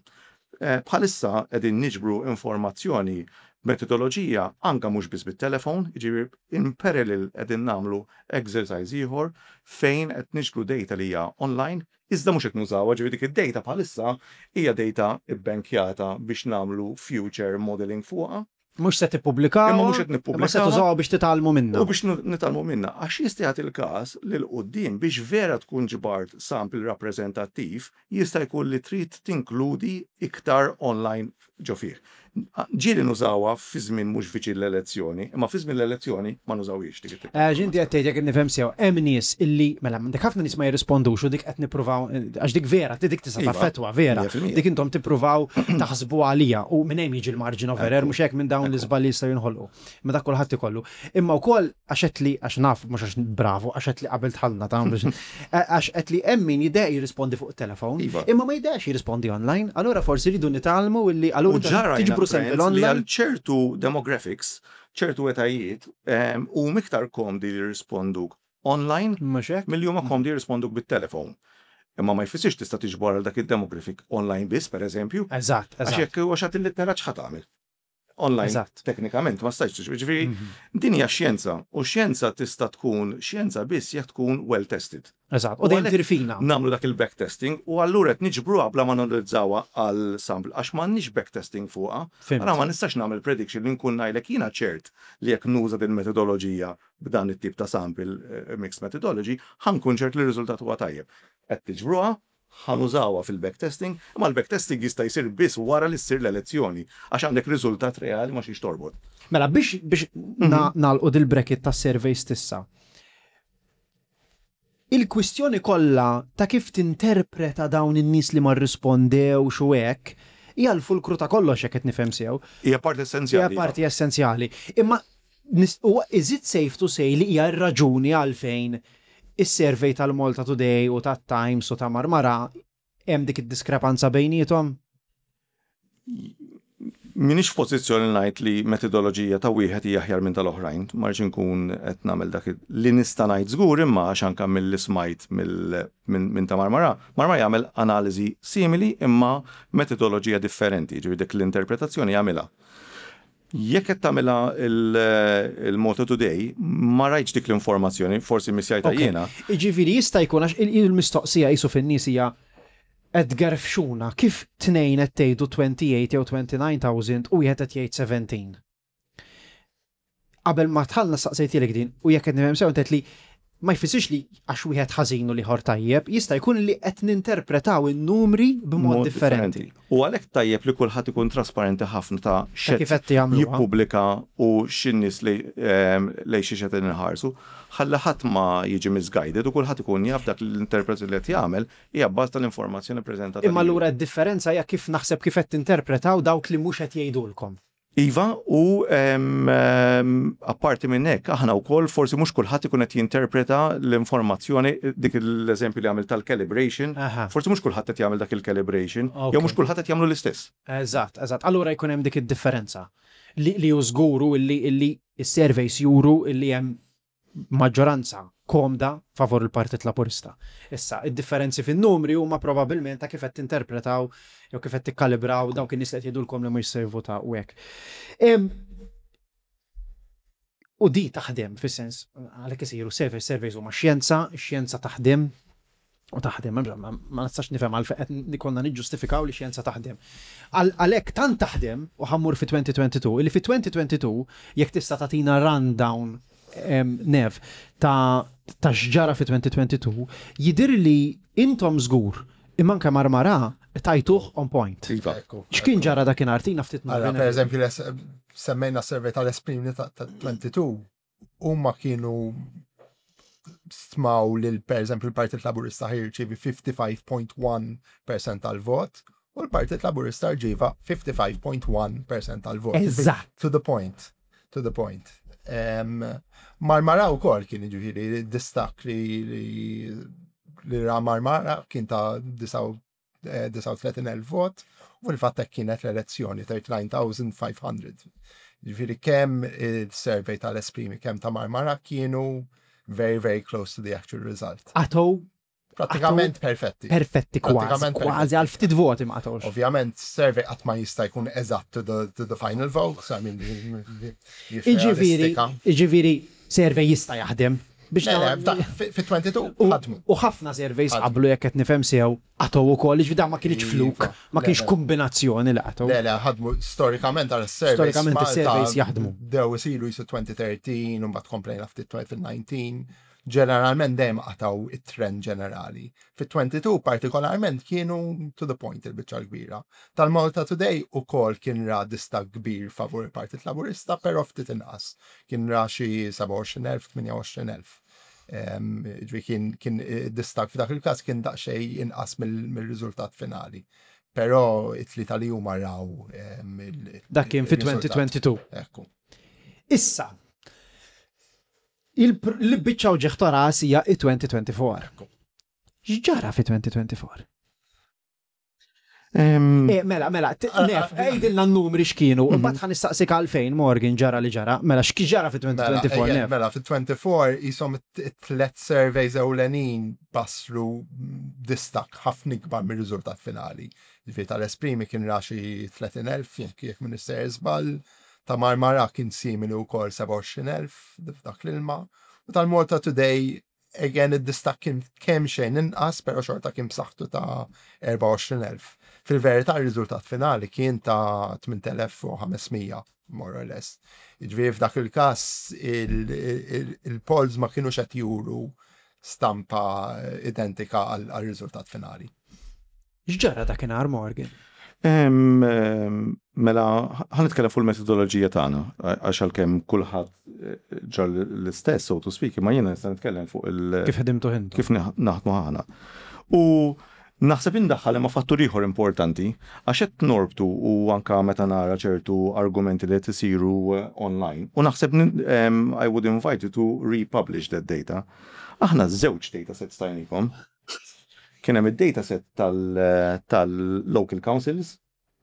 Bħalissa qegħdin niġbru informazzjoni b'metodoloġija anke mhux biss bit-telefon, jiġifieri in parallel qegħdin nagħmlu exercise ieħor fejn qed niġbru data li hija online iżda mhux qed nużawha, ġifieri dik id-data bħalissa hija data bbankjata biex nagħmlu future modeling fuqha. Mhux se tippubblikawha. Imma mhux qed nippubblikawha. Imma se tużawha biex titgħallmu minnha. U biex nitgħallmu minnha. Għax jista' jagħti l-każ li 'l quddiem biex vera tkun ġbart sample rappreżentattiv jista' jkun li trid tinkludi iktar online ġo fih. Ġieli nużawha fi żmien mhux viċin l-elezzjoni, imma fi żmien l-elezzjoni ma nużawhiex dik it-tip. Għax inti qed tgħid jekk nifhem sew, hemm nies illi mela għandek ħafna nies ma jirrispondux u dik qed nippruvaw għax dik vera, dik tista' Iva, taffettwa vera. 100%. Dik intom tippruvaw taħsbu għalija u minn hemm jiġi l-margin of error mhux hekk minn dawn l-iżbalji jistgħu jinħolqu. Imma dak kulħadd ikollu. Imma wkoll għax qed li għax naf mhux għax bravu għax qed li qabel dħalna ta' biex għax qed li hemm min jiddeq jirrispondi fuq it-telefon, Iva. imma ma jiddeqx jirrispondi online, allura forsi rridu nitgħallmu illi U allura ġara tiġbru sample li għal online. ċertu demographics, ċertu etajiet, u miktar komdi li jirrisponduk online Mhux hekk? milli huma komdi jirrisponduk bit-telefon. Imma ma jfissirx tista' tiġbor għal dak id-demographic online biss, per eżempju, Eżatt, għax eżatt. jekk huwa xagħti l-litteraġġ ħa tagħmel. Online, Eżatt. teknikament, ma stajtx tiġbor. Ġifieri, din hija xjenza, u xjenza tista' tkun xjenza biss jekk tkun well tested. Eżatt. U dejjem għalhekk tirfina. Namlu dak il-backtesting u allura qed niġbruha bla ma analizzawha għal sample għax m'għandniex backtesting fuqha. Fhimt. Allura ma nistax nagħmel prediction li nkun ngħidlek jiena ċert li jekk nuża din metodoloġija b'dan it-tip ta' sample mixed methodology, ħa nkun ċert li r-riżultat huwa tajjeb. Qed tiġbruha, ħa nużawha fil-backtesting, imma l-backtesting jista' jsir biss wara li ssir l-elezzjoni għax għandek riżultat reali ma xiex torbot. Mela biex biex nagħlqu dil-bracket tas surveys tissa. Il-kwistjoni kollha ta' kif tinterpreta dawn in-nies li ma rrispondewx u hekk hija l-fulkru ta' kollox jekk qed nifhem sew. Hija parti essenzjali. Hija parti essenzjali. Imma huwa is it safe to say li hija r-raġuni għalfejn is-survey tal-Malta Today u tat-Times u ta' Marmara hemm dik id-diskrepanza bejniethom? Minix f'pożizzjoni ngħid li metodoloġija ta' wieħed hija aħjar minn tal-oħrajn, ma rridx inkun qed nagħmel dak li nista' ngħid żgur imma għax anke milli smajt minn ta' Marmara, Marmara jagħmel analiżi simili imma metodoloġija differenti, ġifieri dik l-interpretazzjoni jagħmilha. Jekk qed tagħmilha il-Malta Today, ma rajtx dik l-informazzjoni, forsi missjajta jiena. Jiġifieri jista' jkun għax il-mistoqsija qisu fin-nies hija qed tgerfxuna kif tnejn qed tgħidu 28 jew 29,000 u wieħed qed jgħid 17. Qabel ma dħalna staqsejtilek din u jekk qed nifhem sew inti li ma jfissirx li għax wieħed ħażin u l-ieħor tajjeb, jista' jkun li qed ninterpretaw in-numri b'mod differenti. U għalhekk tajjeb li kulħadd ikun trasparenti ħafna ta' Ta' kif qed jagħmluha. jippubblika u x'in-nies lejn xi qed inħarsu, ħalli ħadd ma jiġi misguided u kulħadd ikun jaf dak l-interpretazzjoni li qed jagħmel hija bbaż tal-informazzjoni preżentata. Imma lilu. allura d-differenza hija kif naħseb kif qed tinterpretaw dawk li mhux qed jgħidulkom. Iva, u apparti minn hekk, aħna wkoll forsi mhux kulħadd ikun qed jinterpreta l-informazzjoni, dik l-eżempju li għamil tal-calibration, forsi mhux kulħadd qed jagħmel dak il-calibration, jew mhux kulħadd qed jagħmlu l-istess. Eżatt, eżatt. Allura jkun hemm dik id-differenza li hu żguru illi illi s-surveys juru illi hemm maġġoranza komda favur il-Partit Laburista. Issa, id-differenzi fin-numri huma probabbilment ta' kif qed tinterpretaw jew kif qed tikkalibraw dawk in-nies li qed jgħidulkom li mhux se jivvutaw u hekk. U di taħdem fis-sens għalhekk isiru surveys, surveys huma xjenza, xjenza taħdem u taħdem, ma nistax nifhem għalfejn qed konna niġġustifikaw li xjenza taħdem. Għalhekk tant taħdem u ħa mmur fi 2022, illi fi 2022 jekk tista' tagħtina rundown Nev ta' ta' x'ġara fi 2022, jidir li intom żgur imma anke Marmara tajtuh on point. Iva. X'kien ġara dakinhar tina ftit Allora, per eżempju, semmejna survey tal-Esprimi ta' 22, huma kienu stmaw li per eżempju l-Partit Laburista ħirċivi 55.1% tal-vot u l-Partit Laburista rċieva 55.1% tal-vot. Eżatt. To the point. To the point. Marmara u kol kien ġifiri distak li li ra Marmara kien ta' 39,000 vot u fil-fatt hekk kienet l-elezzjoni 39,500. Ġifiri kemm il-survey tal-Esprimi kemm ta' Marmara kienu very, very close to the actual result. Għatow Pratikament perfetti. perfetti kważi, Pratikament kważi perfetti. għal ftit voti ma qatgħux. Ovvjament, survey qatt ma jista' jkun eżatt to the final vote, so I mean, Iġifieri, iġifieri survey jista' jaħdem. Biex Le, le, fi 22 ħadmu. U ħafna surveys qablu jekk qed nifhem sew qatgħu ukoll, jiġifieri dan ma kienx fluk, Iva. ma Le, kienx le. kombinazzjoni li qatgħu. Le, le, ħadmu storikament għal surveys. Storikament Malta is-surveys jaħdmu. Dew isiru jisu 2013, u mbagħad komplejna ftit 2019. Ġeneralment dejjem qatgħu it-trend ġenerali. Fit-22 partikolarment kienu to the point il-biċċa l-kbira. Tal-Malta Today ukoll kien ra distakk kbir favur il-Partit Laburista, però ftit inqas. Kien ra xi 27,000, 28,000. Ġifieri kien distakk f'dak il-każ kien daqsxejn inqas mill-riżultat finali. Però it-tlieta li huma raw Dak kien fi 2022. Ekku. Issa, il-biċċa uġigħ ta' ras hija i-2024. X'ġara fi 2024? Mela, mela, Nef, għidilna n-numri x'kienu, u mbagħad ħa nistaqsik għalfejn Morgan ġara li ġara. Mela, x'ki ġara fi 2024, Nef? Mela, fi 24 jisom it-tlet surveys ewlenin basru distakk ħafna ikbar mir-riżultat finali. Ġifieri tal-Esprimi kien ra xi 30,000, jekk m'iniex sejjer żball, ta' Marmara kien simili wkoll 27,000 f'dak l-ilma. U tal-Malta Today, again, id-distakk kien kemm xejn inqas, pero xorta kien b'saħħtu ta' 24,000. Fil-verità, ir-riżultat finali kien ta' 8,500, more or less. Ġifieri f'dak il-każ il-polls ma kienux qed juru stampa identika għal-riżultat finali. X'ġara dakinhar, Morgan? Mela, ħa nitkellem fuq il-metodoloġija tagħna, għax għalkemm kulħadd ġar l-istess, so to speak, ma jiena nista' nitkellem fuq il- Kif ħdimtu intom? Kif naħdmu aħna. U naħseb indaħħal imma fattur ieħor importanti, għax qed norbtu u anka meta nara ċertu argumenti li qed isiru online. U naħseb I would invite you to republish that data. Aħna żewġ data sets tajnikom. Kien hemm id-data set tal-local councils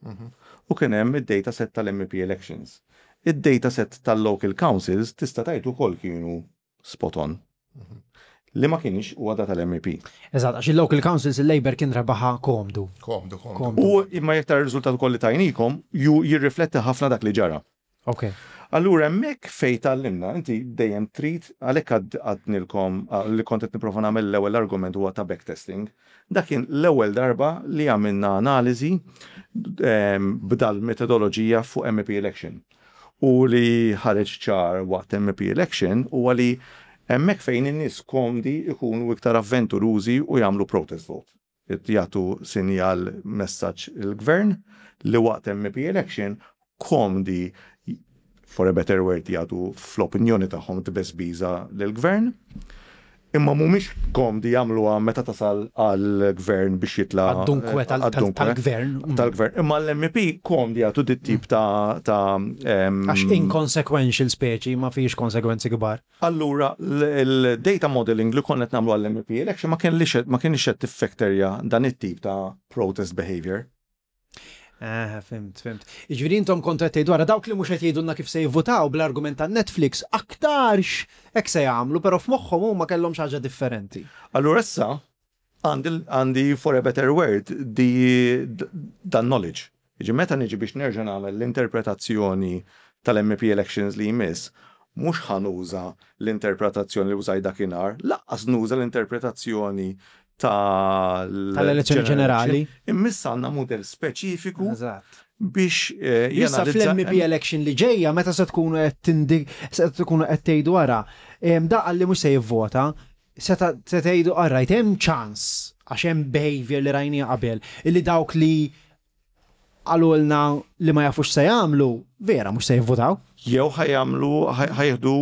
u kien hemm id-data set tal-MEP elections. Id-data set tal-local councils tista' tgħid ukoll kienu spot on. Li ma kienx huwa da tal-MEP. Eżatt, għax il-local councils il-Labour kien rebaħa komdu. Komdu, komdu. U imma jekk tara r-riżultat ukoll li tajnikom, ju jirrifletti ħafna dak li ġara. Allura hemmhekk fejn tgħallimna, inti dejjem trid, għalhekk għadnilkom li kont qed nipprova nagħmel l-ewwel argument huwa ta' backtesting. Dak kien l-ewwel darba li għamilna analiżi b'dal metodoloġija fuq MEP election. U li ħareġ ċar waqt MEP election huwa li hemmhekk fejn in-nies komdi ikunu iktar avventurużi u jagħmlu protest vote. Jagħtu sinjal messaġġ il-gvern li waqt MEP election komdi, for a better word, jagħtu fl-opinjoni tagħhom tbeżbiża lill-gvern, imma mhumiex komdi jagħmluha meta tasal għall-gvern biex jitla' Għad-dunkwe għad-dunkwe tal-gvern. Tal-gvern. Imma l-MEP komdi jagħtu dit tip ta' Għax inconsequential speċi ma fiex konsegwenzi kbar. Allura, il-data modeling li konna qed nagħmlu għall-MEP election ma kienx qed tiffekterja dan it-tip ta' protest behavior. Ah, fimt, fimt. Jiġifieri intom kontu qed tgħidu wara dawk li mhux qed jgħidulna kif se jivvutaw bl-argument ta' Netflix, aktarx hekk se jagħmlu, però f'moħħhom huma kellhom xi ħaġa differenti. Allura issa għandi, for a better word, di dan knowledge. Jiġi meta niġi biex nerġa' nagħmel l-interpretazzjoni tal-MEP elections li jmiss, mhux ħa nuża l-interpretazzjoni li użaj dakinhar, lanqas nuża l-interpretazzjoni tal- Tal-elezzjoni ġenerali. Imma għandna model speċifiku biex Issa janalizza fl-MEP election li ġejja meta se tkunu qed tgħidu wara, da li mhux se jivvota, se tgħidu alright hemm ċans għax hemm behavior li rajni qabel illi dawk li qalulna li ma jafux se jagħmlu, vera mhux se jivvotaw. Jew ħa jagħmlu, ħa jieħdu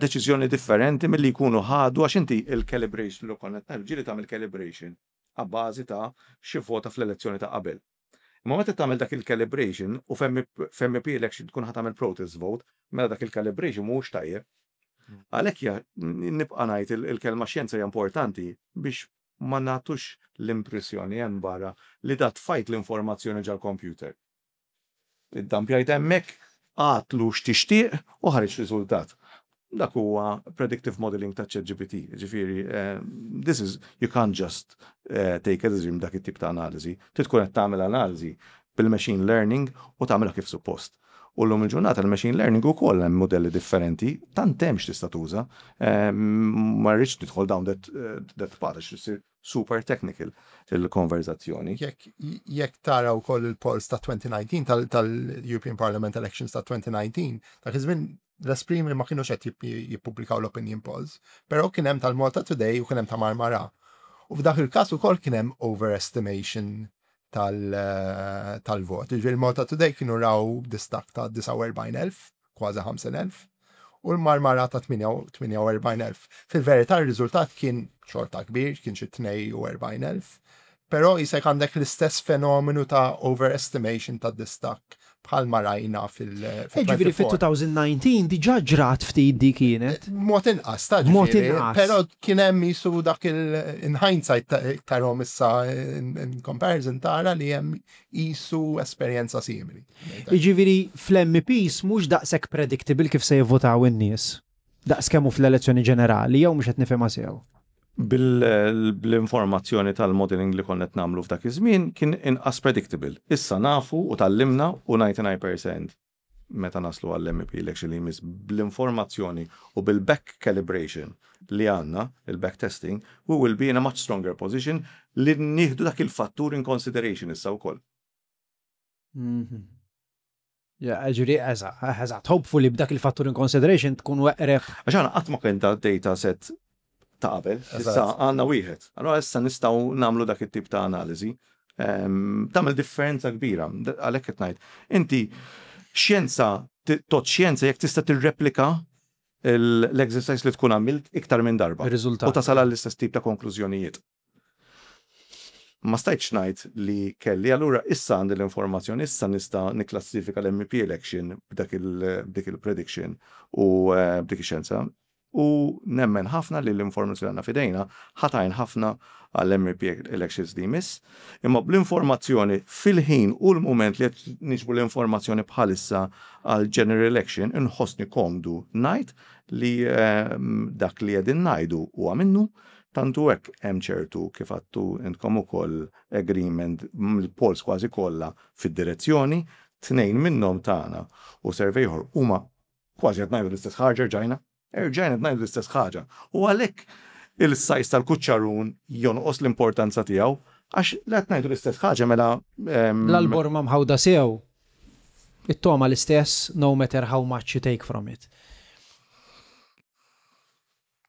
deċiżjoni differenti milli jkunu ħadu, għax inti il-calibration li konna qed ġieli tagħmel calibration għabbażi ta' xi vota fl-elezzjoni ta' qabel. Imma meta tagħmel dak il-calibration u f'MP election tkun ħa tagħmel protest vote, mela dak il-calibration mhux tajjeb. Għalhekk nibqa' ngħid il-kelma xjenza hija importanti biex ma nagħtux l-impressjoni hemm barra li da tfajt l-informazzjoni ġal-computer. Iddampjajt hemmhekk, għatlu x'tixtieq u ħareġ riżultat. Dak huwa predictive modeling ta' ChatGPT. Ġifieri, this is, you can't just take a decision dak it-tip ta' analiżi. Trid tkun qed tagħmel analiżi bil-machine learning u tagħmilha kif suppost. U l-lum il-ġurnata l-machine learning ukoll hemm modelli differenti, tant hemm x'tista' tuża. Ma rridx nidħol down that path, għax issir super technical il-konverzazzjoni. Jekk tara wkoll il-polls ta' 2019 tal-European Parliament Elections ta' 2019, dak iż-żmien l-Esprimi ma kienux qed jippubblikaw l-opinion polls, però kien hemm tal-Malta Today u kien hemm ta' Marmara. U f'dak il-każ ukoll kien hemm overestimation tal-vot. Ġifieri Malta Today kienu raw distakk ta' 49,000, kważi 50,000, u l-Marmara ta' 48,000. Fil-verità r-riżultat kien xorta kbir, kien xi 42,000, però jisek għandek l-istess fenomenu ta' overestimation ta' distakk bħalma rajna fil- Ġifieri fit-2019 diġà ġrat ftit di kienet. Mod inqas, ta' Mod ġifieri, inqas. Però kien hemm jisu dak il in hindsight tarahom issa in comparison tara li hemm jisu esperjenza simili. Jiġifieri fl-MEPs mhux daqshekk predictable kif se jivvotaw in-nies. Daqs kemm hu fl-elezzjoni ġenerali jew mhux qed nifhimha sew. Bil-informazzjoni tal-modeling li konna qed nagħmlu f'dak iż-żmien kien inqas predictable. Issa nafu u tgħallimna u 99% meta naslu għall-MEP election li jmiss bl-informazzjoni u bil-back calibration li għandna, il-back testing, we will be in a much stronger position li nieħdu dak il-fattur in consideration issa wkoll. Ja, ġifieri, eżatt, hopefully b'dak il-fattur in consideration tkun weqreb. Għax għandna qatt ma kien ta' data set ta' qabel, issa għandna wieħed. Allora issa nistgħu nagħmlu dak it-tip ta' analiżi. Tagħmel differenza kbira, għalhekk qed ngħid. Inti xjenza, tot xjenza jekk tista' tirreplika l-exercise li tkun għamilt iktar minn darba. Ir-riżultat. U tasal għall-istess tip ta' konklużjonijiet. Ma stajtx ngħid li kelli, allura issa għandi l-informazzjoni, issa nista' nikklassifika l-MEP election b'dik il-prediction u b'dik ix-xjenza. U nemmen ħafna li l-informazzjoni għandna f'idejna ħa tgħin ħafna għall-MEP elections li jmiss. Imma bl-informazzjoni fil-ħin u l-moment li qed niġbru l-informazzjoni bħalissa għal general election, inħossni komdu ngħid li dak li qegħdin ngħidu huwa minnu. Tantu hekk hemm ċertu kif għattu intkom ukoll agreement mill-polls kważi kollha fid-direzzjoni, tnejn minnhom tagħna u survey ieħor huma kważi qed ngħidu l-istess ħaġa rġajna. Erġajna qed ngħidu l-istess ħaġa. U għalhekk il-size tal-kuċċarun jonqos l-importanza tiegħu għax li qed ngħidu l-istess ħaġa mela, L-alborma mħawda sew, it-toma l-istess no matter how much you take from it.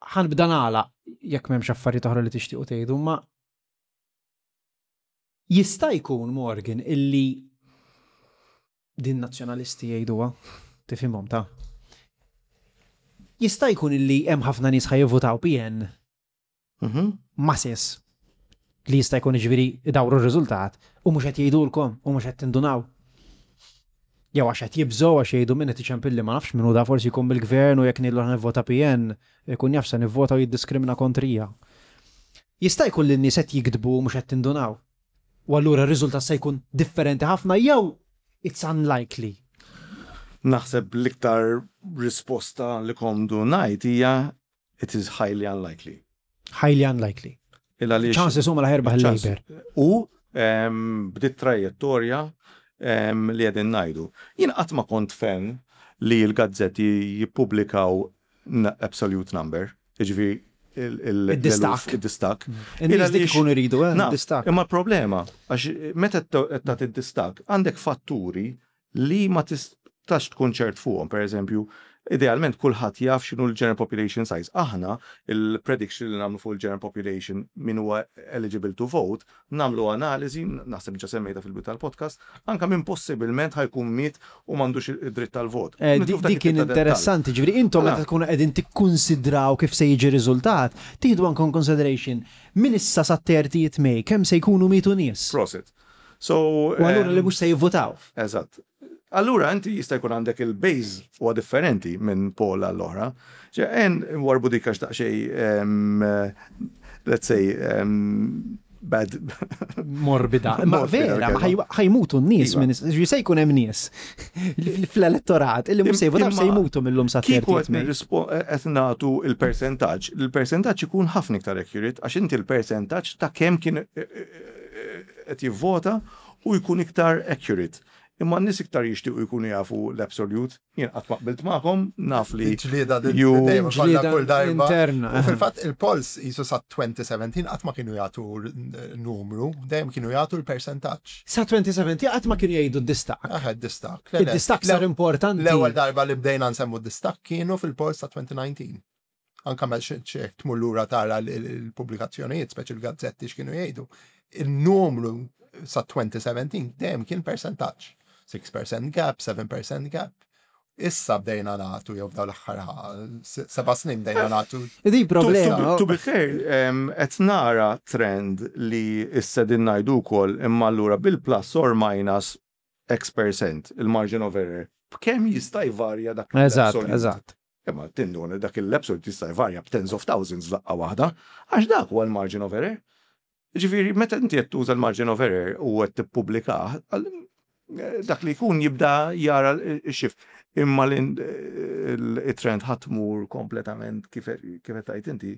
Ħa nibda nagħlaq jekk m'hemmx affarijiet oħra li tixtiequ tgħidu, ma jista' jkun Morgan illi din nazzjonalisti jgħiduha, tifhimhom ta' jista' jkun illi hemm ħafna nies ħa jivvutaw PN masses li jista' jkun ġifieri idawru r-riżultat u mhux qed jgħidulkom u mhux qed tindunaw. Jew għax qed jibżgħu għax jgħidu min qed iċempilli ma nafx min hu da forsi jkun mill-gvern u jekk ngħidlu ħa nivvota PN ikun jaf se nivvota u jiddiskrimina kontrija. Jista' jkun li n-nies qed jikdbu u mhux qed tindunaw. U allura r-riżultat se jkun differenti ħafna jew it's unlikely. Naħseb l-iktar risposta li komdu ngħid hija it is highly unlikely. Highly unlikely. Il għaliex Chances huma la ħerbaħ il-Labour. U bdiet trajjettorja li qegħdin ngħidu. Jien qatt ma kont fan li l-gazzetti jippubblikaw absolute number, jiġifieri Id-distak. il-distak. In-nies dik ikunu jridu, Naf, distak. Imma l-problema, għax meta qed tagħti d-distak, għandek fatturi li ma tistax tkun ċert fuqhom, per eżempju, idealment kulħadd jaf x'inhu l-general population size. Aħna il-prediction li nagħmlu fuq il-general population min huwa eligible to vote, nagħmlu analiżi, naħseb ġa semmejta fil-bidu tal-podcast, anka min possibilment ħa jkun miet u m'għandux id-dritt tal-vot. Nidħlu f'dak Dik kien it-tip ta' dettall. interessanti, ġifieri intom meta tkunu qegħdin tikkunsidraw kif se jiġi riżultat, tieħdu anke consideration min issa sa 30 May kemm se jkunu mietu nies. Prosit. So, U allura li mhux se jivvutaw. Eżatt. Allura inti jista' jkun għandek il-base huwa differenti minn poll għall-oħra. Ġe, en warbu dik għax daqsxejn, let's say, bad. Morbida. Ma Morbida, vera, ma kelma. ħa jmutu n-nies minn ġi se jkun hemm nies fl-elettorat illi mhux se jivvotaw se Imma jmutu mill-lum sa kieku 30 qed May. qed nagħtu il-percentaġġ, il-percentaġġ ikun ħafna iktar accurate għax inti il-percentaġġ ta' kemm kien qed jivvota u jkun iktar accurate. Imma n-nies iktar jixtiequ jkunu jafu l-absolute. Jien qatt ma qbilt magħkom, naf li. Ġlieda dejjem kollha kull darba. Interna. U fil-fatt il-polls jisu sa 2017 qatt ma kienu jagħtu numru, dejjem kienu jagħtu l-persentaġġ. Sa 2017 qatt ma kienu jgħidu d-distakk. Aha, d-distakk. Id-distakk sar importanti. L-ewwel darba li bdejna nsemmu d-distakk kienu fil-polls ta' 2019. Anka ma xek tmur lura tara l-pubblikazzjonijiet, speċi l-gazzetti x'kienu jgħidu. Il-numru sa 2017 dejjem kien percentaġġ. 6% gap, 7% gap. Issa bdejna nagħtu jew f'dawn l-aħħar 7 snin bdejna nagħtu. Di problema. To be fair, qed nara trend li issa din ngħidu wkoll imma allura bil-plus or minus X percent, il-margin of error, b'kemm jista' jvarja dak Eżatt, eżatt. Imma tinduna dak il-absolute jista' jvarja b'tens of thousands f'daqqa waħda, għax dak huwa l-margin of error. Ġifieri, meta inti qed tuża l-margin of error u qed tippubblikah, dak li jkun jibda jara x-shift. Imma l-trend ħa tmur kompletament kif qed tgħid inti,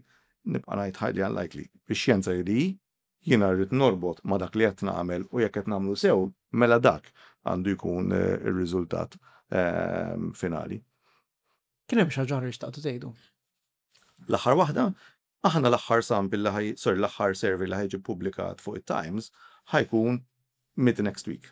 nibqa' ngħid highly unlikely. Ix-xjenza hi li hi, Jiena rrid norbot ma' dak li qed nagħmel u jekk qed nagħmlu sew, mela dak għandu jkun ir-riżultat finali. Kien hemm xi ħaġa oħra li xtaqtu tgħidu? L-aħħar waħda, aħna l-aħħar sample li ħa, sorry, l-aħħar survey li ħa jiġi ppubblikat fuq it-Times ħa jkun mid next week.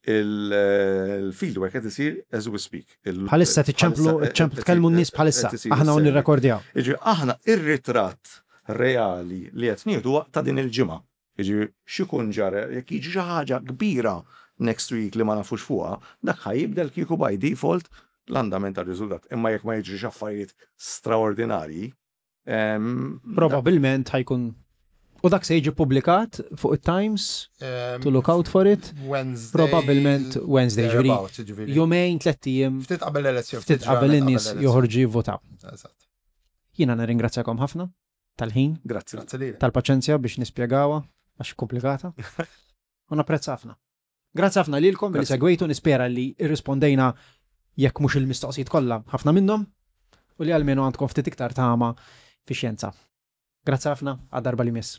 Il-fieldwork qed isir as we speak. Bħalissa tiċċemplu, tkellmu n-nies bħalissa. Aħna u nirrekordjaw. Jiġifieri aħna ir-ritratt reali li qed nieħdu huwa ta' din il-ġimgħa. Jiġifieri x'ikun ġara jekk jiġi xi ħaġa kbira next week li ma nafux fuqha, dak ħa jibdel kieku by default l-andament tar-riżultat. Imma jekk ma jiġrix affarijiet straordinarji, Probabilment ħa jkun U dak se jiġi publikat fuq it-Times to look out for it. Wednesday. Probabilment Wednesday, ġifieri. Jumejn, tlett ijiem. Ftit qabel l-elezzjoni. Ftit qabel in-nies joħorġu jivvotaw. Eżatt. Jiena nirringrazzjakom ħafna tal-ħin. Grazzi. Tal-paċenzja biex nispjegawha għax komplikata. U napprezza ħafna. Grazzi ħafna lilkom li segwejtu, nispera li irrispondejna jekk mhux il-mistoqsijiet kollha ħafna minnhom u li almenu għandkom ftit iktar tama fix-xjenza. Grazzi ħafna għad darba li miss.